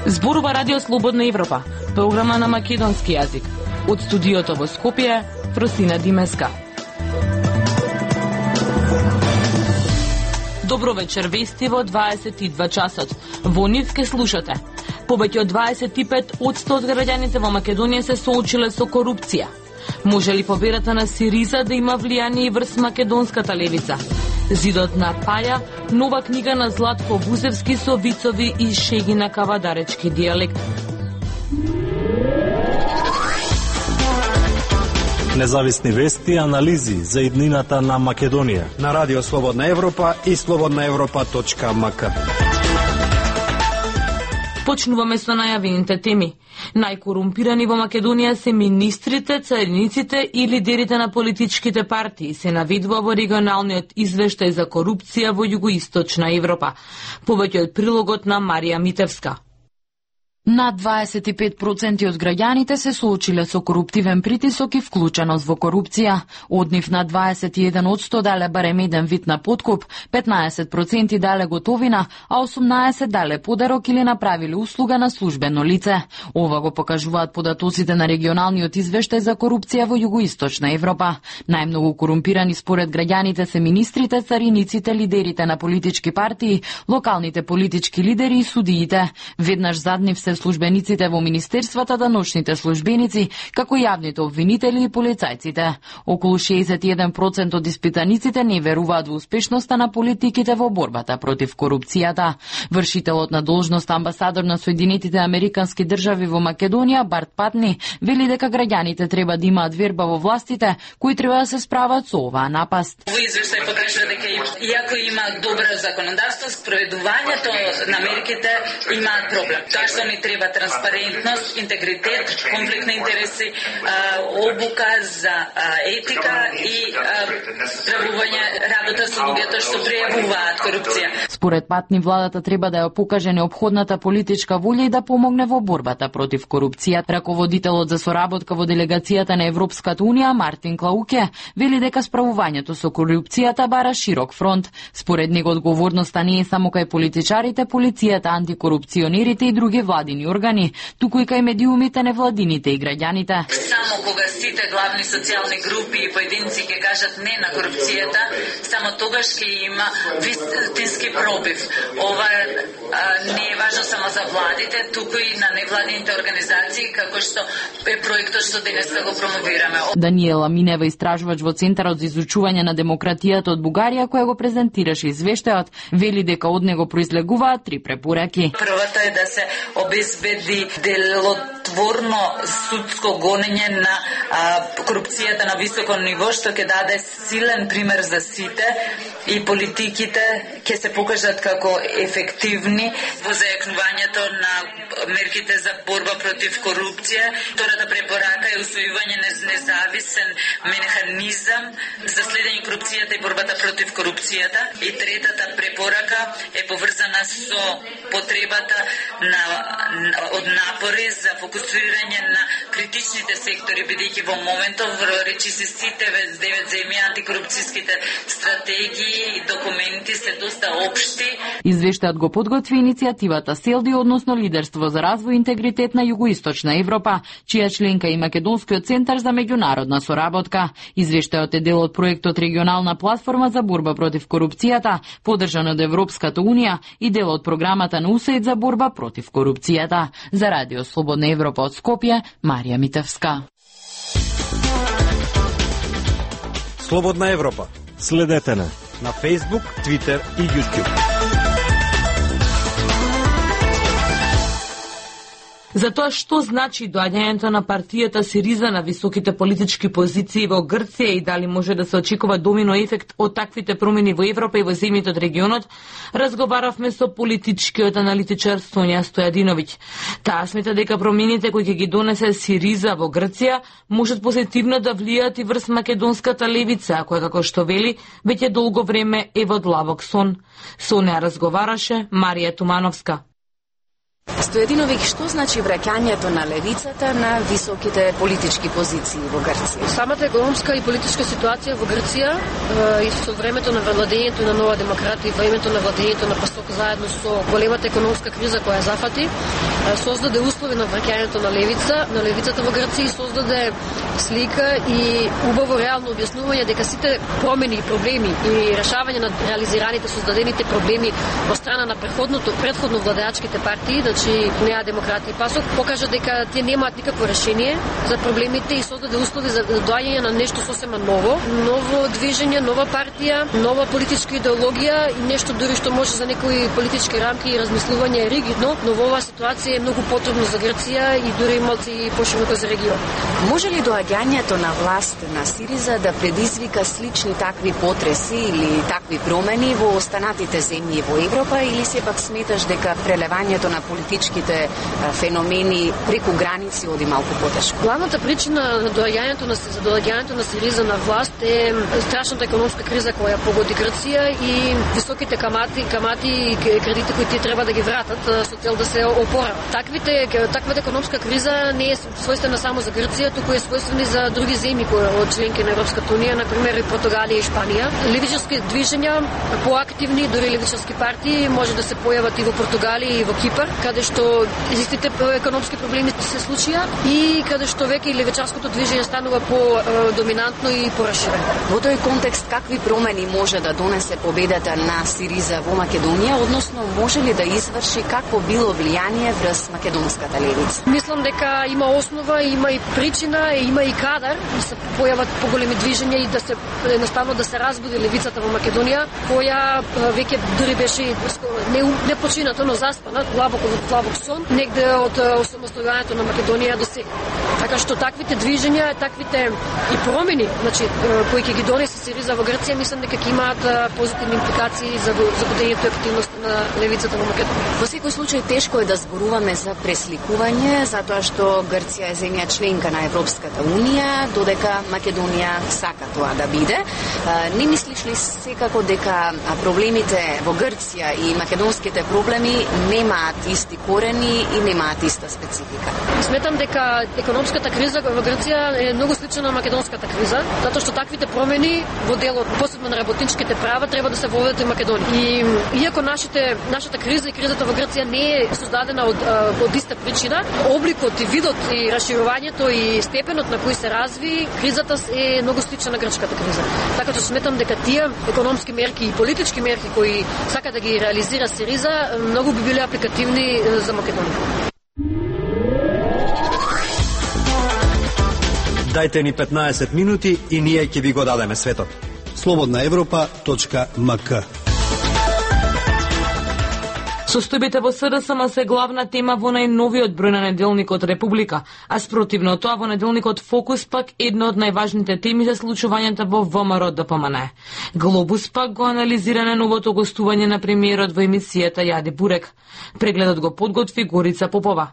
Зборува Радио Слободна Европа, програма на македонски јазик. Од студиото во Скопје, Фросина Димеска. Добро вечер, вести во 22 часот. Во нив ке слушате. Повеќе од 25% од граѓаните во Македонија се соочиле со корупција. Може ли победата на Сириза да има влијание и врз македонската левица? Зидот на Паја, нова книга на Златко Вузевски со вицови и шеги на кавадаречки дијалект. Независни вести и анализи за иднината на Македонија на Радио Слободна Европа и slobodnaevropa.mk. Почнуваме со најавените теми. Најкорумпирани во Македонија се министрите, цариниците и лидерите на политичките партии, се наведува во регионалниот извештај за корупција во Југоисточна Европа. Повеќе од прилогот на Марија Митевска. Над 25% од граѓаните се соочиле со коруптивен притисок и вклученост во корупција. Од нив на 21% дале барем еден вид на подкуп, 15% дале готовина, а 18% дале подарок или направиле услуга на службено лице. Ова го покажуваат податоците на регионалниот извештај за корупција во Југоисточна Европа. Најмногу корумпирани според граѓаните се министрите, цариниците, лидерите на политички партии, локалните политички лидери и судиите. Веднаш зад нив се службениците во министерствата, даночните службеници, како јавните обвинители и полицајците. Околу 61% од испитаниците не веруваат во успешноста на политиките во борбата против корупцијата. Вршителот на должност амбасадор на Соединетите Американски држави во Македонија, Барт Патни, вели дека граѓаните треба да имаат верба во властите, кои треба да се справат со оваа напаст. Во извештај покажува дека иако има добро законодавство, спроведувањето на мерките имаат проблем. Тоа што ни треба транспарентност, интегритет, конфликт на интереси, обука за етика и правување работа со луѓето што пријавуваат корупција. Според Патни, владата треба да ја покаже неопходната политичка волја и да помогне во борбата против корупција. Раководителот за соработка во делегацијата на Европската унија, Мартин Клауке, вели дека справувањето со корупцијата бара широк фронт. Според него одговорноста не е само кај политичарите, полицијата, антикорупционерите и други владини органи, туку и кај медиумите, невладините и граѓаните. Само кога сите главни социјални групи и поединци ќе кажат не на корупцијата, само тогаш ќе има вистински пробив. Ова не е важно само за владите, туку и на невладините организации, како што е проектот што денеска го промовираме. Даниела Минева, истражувач во Центарот за изучување на демократијата од Бугарија, која го презентираше извештајот, вели дека од него произлегуваат 3 препораки. Првата е да се обезбеди делотворно судско гонење на корупцијата на високо ниво, што ќе даде силен пример за сите и политиките ќе се покажат како ефективни во зајакнувањето на мерките за борба против корупција. Втората препорака е усвојување на независен механизам за следење корупцијата и борбата против корупцијата. И третата препорака е поврзана со потребата од напори за фокусирање на критичните сектори, бидејќи во моментов речиси сите 9 земји антикорупцијските стратегии и документи се доста општи. Извештајот го подготви иницијативата СЕЛДИ, односно Лидерство за развој и интегритет на Југоисточна Европа, чија членка и Македонскиот центар за меѓународна соработка. Извештајот е дел од проектот Регионална платформа за борба против корупцијата, поддржан од Европската унија и дел од програмата на УСАИД за борба против корупцијата. За Радио Слободна Европа од Скопје, Марија Митевска. Слободна Европа. Следете на Facebook, Twitter и YouTube. За тоа што значи доаѓањето на партијата Сириза на високите политички позиции во Грција и дали може да се очекува домино ефект од таквите промени во Европа и во земјите од регионот, разговаравме со политичкиот аналитичар Сонја Стојадиновиќ. Таа смета дека промените кои ќе ги донесе Сириза во Грција можат позитивно да влијаат и врз македонската левица, која, како што вели, веќе долго време е во длабок сон. Со неа разговараше Марија Тумановска. Стојадиновиќ, што значи враќањето на левицата на високите политички позиции во Грција? Самата економска и политичка ситуација во Грција и со времето на владењето на Нова демократија и времето на владењето на ПАСОК заедно со големата економска криза која зафати, создаде услови на враќањето на левицата во Грција и создаде слика и убаво реално објаснување дека сите промени и проблеми и решавање на реализираните создадените проблеми во страна на претходно владеачките партии, значи Неа демократија и ПАСОК, покажа дека тие немаат никакво решение за проблемите и создаде услови за доаѓање на нешто сосема ново движење, нова партија, нова политичка идеологија и нешто дури што може за некои политички рамки и размислување ригидно, но во оваа ситуација е многу потребно за Грција и дури малку и пошироко за регион. Може ли доаѓањето на власт на СИРИЗА да предизвика слични такви потреси или такви промени во останатите земји во Европа, или сепак сметаш дека прелевањето на политичките феномени преку граници оди малку потешко? Главната причина за доаѓањето на СИРИЗА на власт е страшната економска криза која погоди Грција и високите камати и кредити кои тие треба да ги вратат со цел да се опорават. Таквата економска криза не е својствена само за Грција, туку е својствена и за други земји од членки на Европската унија, например и Португалија и Шпанија. Левичарски движења, поактивни, дури левичарски партии може да се појават и во Португалија и во Кипар, каде што истите економски проблеми се случија и каде што веќе и левичарското движење станува по-доминантно и пораширено. Во тој контекст, какви промени може да донесе победата на СИРИЗА во Македонија, односно може ли да изврши какво било влијание врз македонската левица? Мислам дека има основа, има и причина, има и кадар да се појават поголеми движења и да се едноставно да се разбуди левицата во Македонија, која веќе дури беше не почината, но заспана, длабоко во длабок сон, негде од осамостојувањето на Македонија до сега. Така што таквите движења, таквите и промени, значи кои ќе ги донесе СИРИЗА во Грција, мислам дека ќе имаат позитивни импликации за годењето и активност на левицата во Македонија. Во секој случај тешко е да зборуваме за пресликување, затоа што Грција е земја членка на Европската унија, додека Македонија сака тоа да биде. Не мислиш ли секако дека проблемите во Грција и македонските проблеми немаат исти корени и немаат иста специфика? Сметам дека економската криза во Грција е многу слична на македонската криза, затоа што таквите промени во делот, посебно на работничките права, треба да се воведат и Македонија. И иако нашата криза и кризата во Грција не е создадена од иста причина, обликот и видот и расширувањето и степенот на кој се разви кризата е многу слична на грчката криза. Така што сметам дека тие економски мерки и политички мерки кои сака да ги реализира СИРИЗА многу би биле апликативни за Македонија. Дајте ни 15 минути и ние ќе ви го дадеме светот. slobodnaevropa.mk. Состојбите во СДСМ се главна тема во најновиот број на неделникот Република, а спротивно тоа во неделникот Фокус пак една од најважните теми за случувањата во ВМРО ДПМН. Глобус пак го анализира на новото гостување на премиерот во емисијата Јади Бурек. Прегледот го подготви Горица Попова.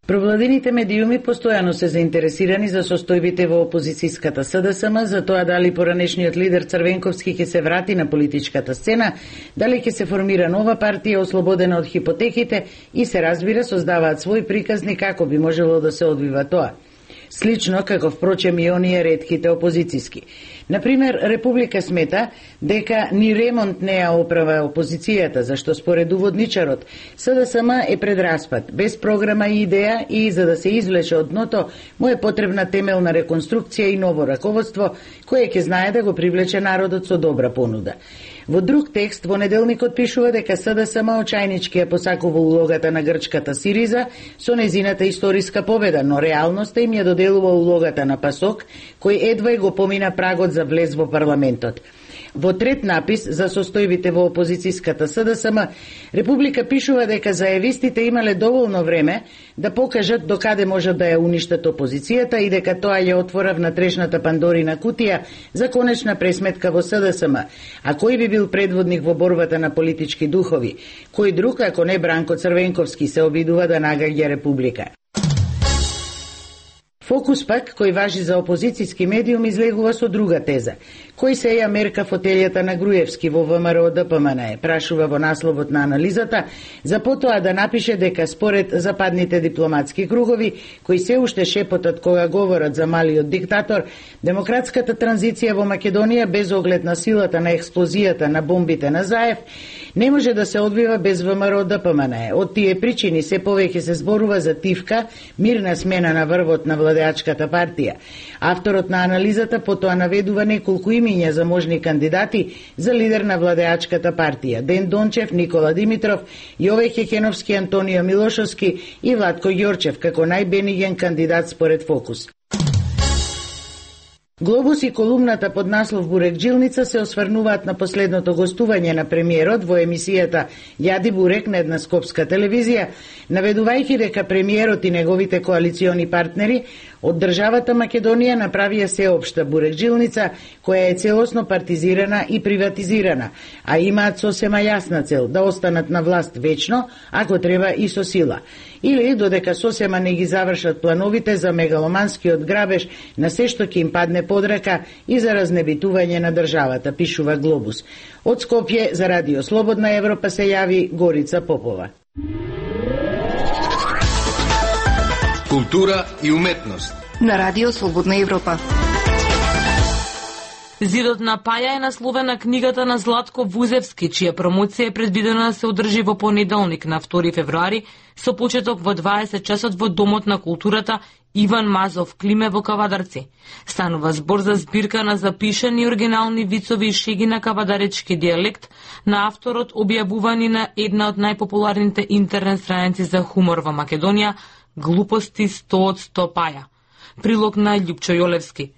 Провладените медиуми постојано се заинтересирани за состојбите во опозицијската СДСМ, за тоа дали поранешниот лидер Црвенковски ќе се врати на политичката сцена, дали ќе се формира нова партија ослободена од хипотеките и се разбира создаваат свој приказни како би можело да се одвива тоа. Слично како впрочем и оние ретките опозицијски. Например, Република смета дека ни ремонт не ја оправа опозицијата, зашто според уводничарот СДСМ е пред распад, без програма и идеја и за да се извлече од дното му е потребна темелна реконструкција и ново раководство кое ќе знае да го привлече народот со добра понуда. Во друг текст во неделникот пишува дека СДСМ очајнички ја посакува улогата на грчката СИРИЗА со незината историска победа, но реалноста им ја доделува улогата на ПАСОК, кој едва го помина прагот за влез во парламентот. Во трет напис за состојбите во опозицијската СДСМ, Република пишува дека зајавистите имале доволно време да покажат докаде можат да ја уништат опозицијата и дека тоа ја отвора внатрешната Пандорина кутија за конечна пресметка во СДСМ. А кој би бил предводник во борбата на политички духови? Кој друг, ако не Бранко Црвенковски, се обидува да нагаѓа Република? Фокус пак, кој важи за опозицијски медиум, излегува со друга теза. Кој се ја мерка фотелјата на Груевски во ВМРО ДПМН, прашува во насловот на анализата, за потоа да напише дека според западните дипломатски кругови, кои се уште шепотат кога говорат за малиот диктатор, демократската транзиција во Македонија без оглед на силата на експлозијата на бомбите на Заев не може да се одвива без ВМРО ДПМН. Од тие причини се повеќе се зборува за тивка, мирна смена на врвот на владеачката партија. Авторот на анализата потоа наведува неколку имиња за можни кандидати за лидер на владеачката партија: Ден Дончев, Никола Димитров, Јове Хекеновски, Антонио Милошовски и Владко Ѓорчев како најбениген кандидат според Фокус. Глобус и колумната под наслов Бурек-джилница се осврнуваат на последното гостување на премиерот во емисијата Јади Бурек на една скопска телевизија, наведувајќи дека премиерот и неговите коалициони партнери од државата Македонија направија сеопшта Бурек-джилница која е целосно партизирана и приватизирана, а имаат сосема јасна цел да останат на власт вечно, ако треба и со сила. Или додека сосема не ги завршат плановите за мегаломанскиот грабеж на се што ќе им падне под рака и за разнебитување на државата, пишува Глобус. Од Скопје за Радио Слободна Европа се јави Горица Попова. Култура и уметност на Радио Слободна Европа. Зидот на Паја е насловена книгата на Златко Вузевски, чија промоција е предвидена да се одржи во понеделник на 2 февруари со почеток во 20 часот во Домот на културата Иван Мазов Климе во Кавадарци. Станува збор за збирка на запишани оригинални вицови и шеги на кавадаречки дијалект на авторот, објавувани на една од најпопуларните интернет страници за хумор во Македонија, Глупости 100 од 100 Паја. Прилог на Љупчо Јолевски.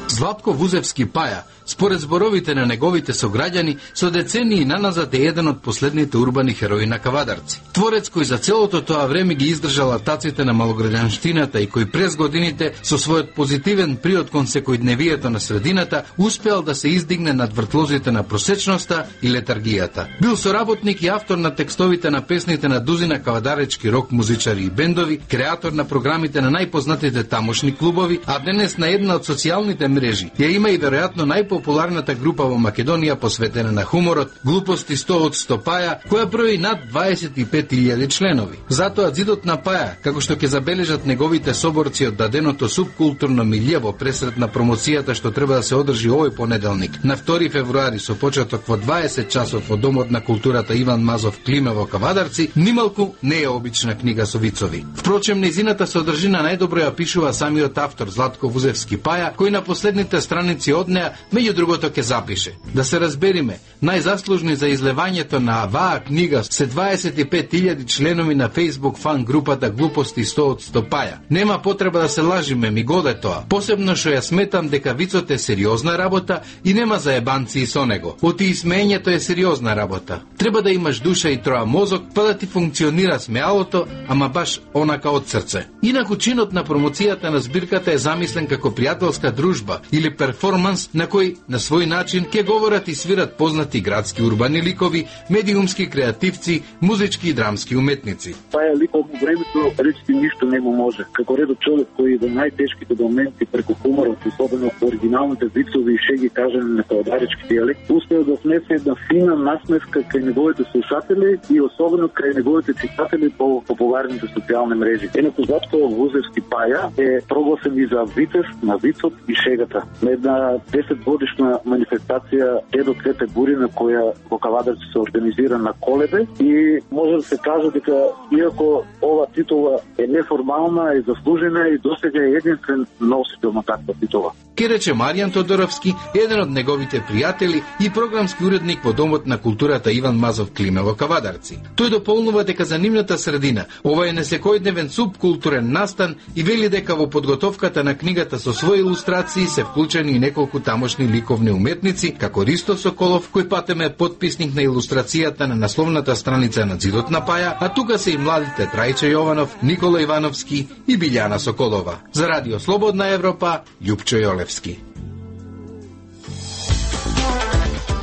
Златко Вузевски Паја, според зборовите на неговите сограѓани, со децении наназад е еден од последните урбани херои на Кавадарци. Творец кој за целото тоа време ги издржал атаците на малограѓанштината и кој през годините со својот позитивен приод кон секојдневието на средината успеал да се издигне над вртлозите на просечноста и летаргијата. Бил соработник и автор на текстовите на песните на дузина кавадаречки рок музичари и бендови, креатор на програмите на најпознатите тамошни клубови, а денес на една од социјалните мрежи ја има и веројатно најпопуларната група во Македонија посветена на хуморот, Глупости 100 од 100 Паја, која брои над 25.000 членови. Затоа Зидот на Паја, како што ќе забележат неговите соборци од даденото субкултурно милје во пресред на промоцијата што треба да се одржи овој понеделник, на 2 февруари со почеток во 20 часот во Домот на културата Иван Мазов Климе во Кавадарци, нималку не е обична книга со вицови. Впрочем, нејзината содржина најдобро ја пишува самиот автор Златко Вузевски Паја, кој на последните страници од неа, меѓу другото ќе запише: да се разбериме, најзаслужни за излевањето на оваа книга се 25.000 членови на Facebook фан групата Глупости 100 од 100 Паја. Нема потреба да се лажиме, ми годе тоа. Посебно што ја сметам дека вицот е сериозна работа и нема заебанци со него. Оти и смеењето е сериозна работа. Треба да имаш душа и троа мозок, па да ти функционира смеалото, ама баш онака од срце. Инаку чинот на промоцијата на збирката е замислен како пријателска дружба или перформанс на кој на свој начин ќе говорат и свират познати градски урбани ликови, медиумски креативци, музички и драмски уметници. Паја лик од времето речти ништо не му може. Како редо човек кој во најтешките моменти преку хуморот, особено оригиналните вицови и шеги кажани на кавадаречки дијалект, успеа да внесе една фина насмеска кај неговите слушатели и особено кај неговите читатели по популарните социјални мрежи. Инаку Златко Вузевски Паја е прогласен и за витез на вицот и шегата. На една 10-годишна манифестација Дедо Цвете Бури, на која во Кавадарци се организира на Колебе, и може да се каже дека иако ова титула е неформална, е заслужена и досега е единствен носител на таква титула. Ке рече Маријан Тодоровски, еден од неговите пријатели и програмски уредник во Домот на културата Иван Мазов Климе во Кавадарци. Тој дополнува дека за нивната средина ова е несекојдневен субкултурен настан и вели дека во подготовката на книгата со своји илустрации се вклучени и неколку тамошни ликовни уметници, како Ристо Соколов, кој патем е потписник на илустрацијата на насловната страница на Зидот на Паја, а тука се и младите Трајче Јованов, Никола Ивановски и Билјана Соколова. За Радио Слободна Европа, Љупчо Јолевски.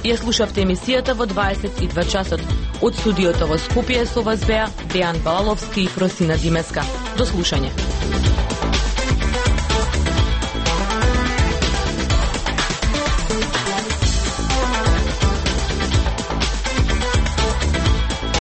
Ја слушавте емисијата во 22 часот. Од студиото во Скопје со вас беа Дејан Балаловски и Фросина Димеска. До слушање.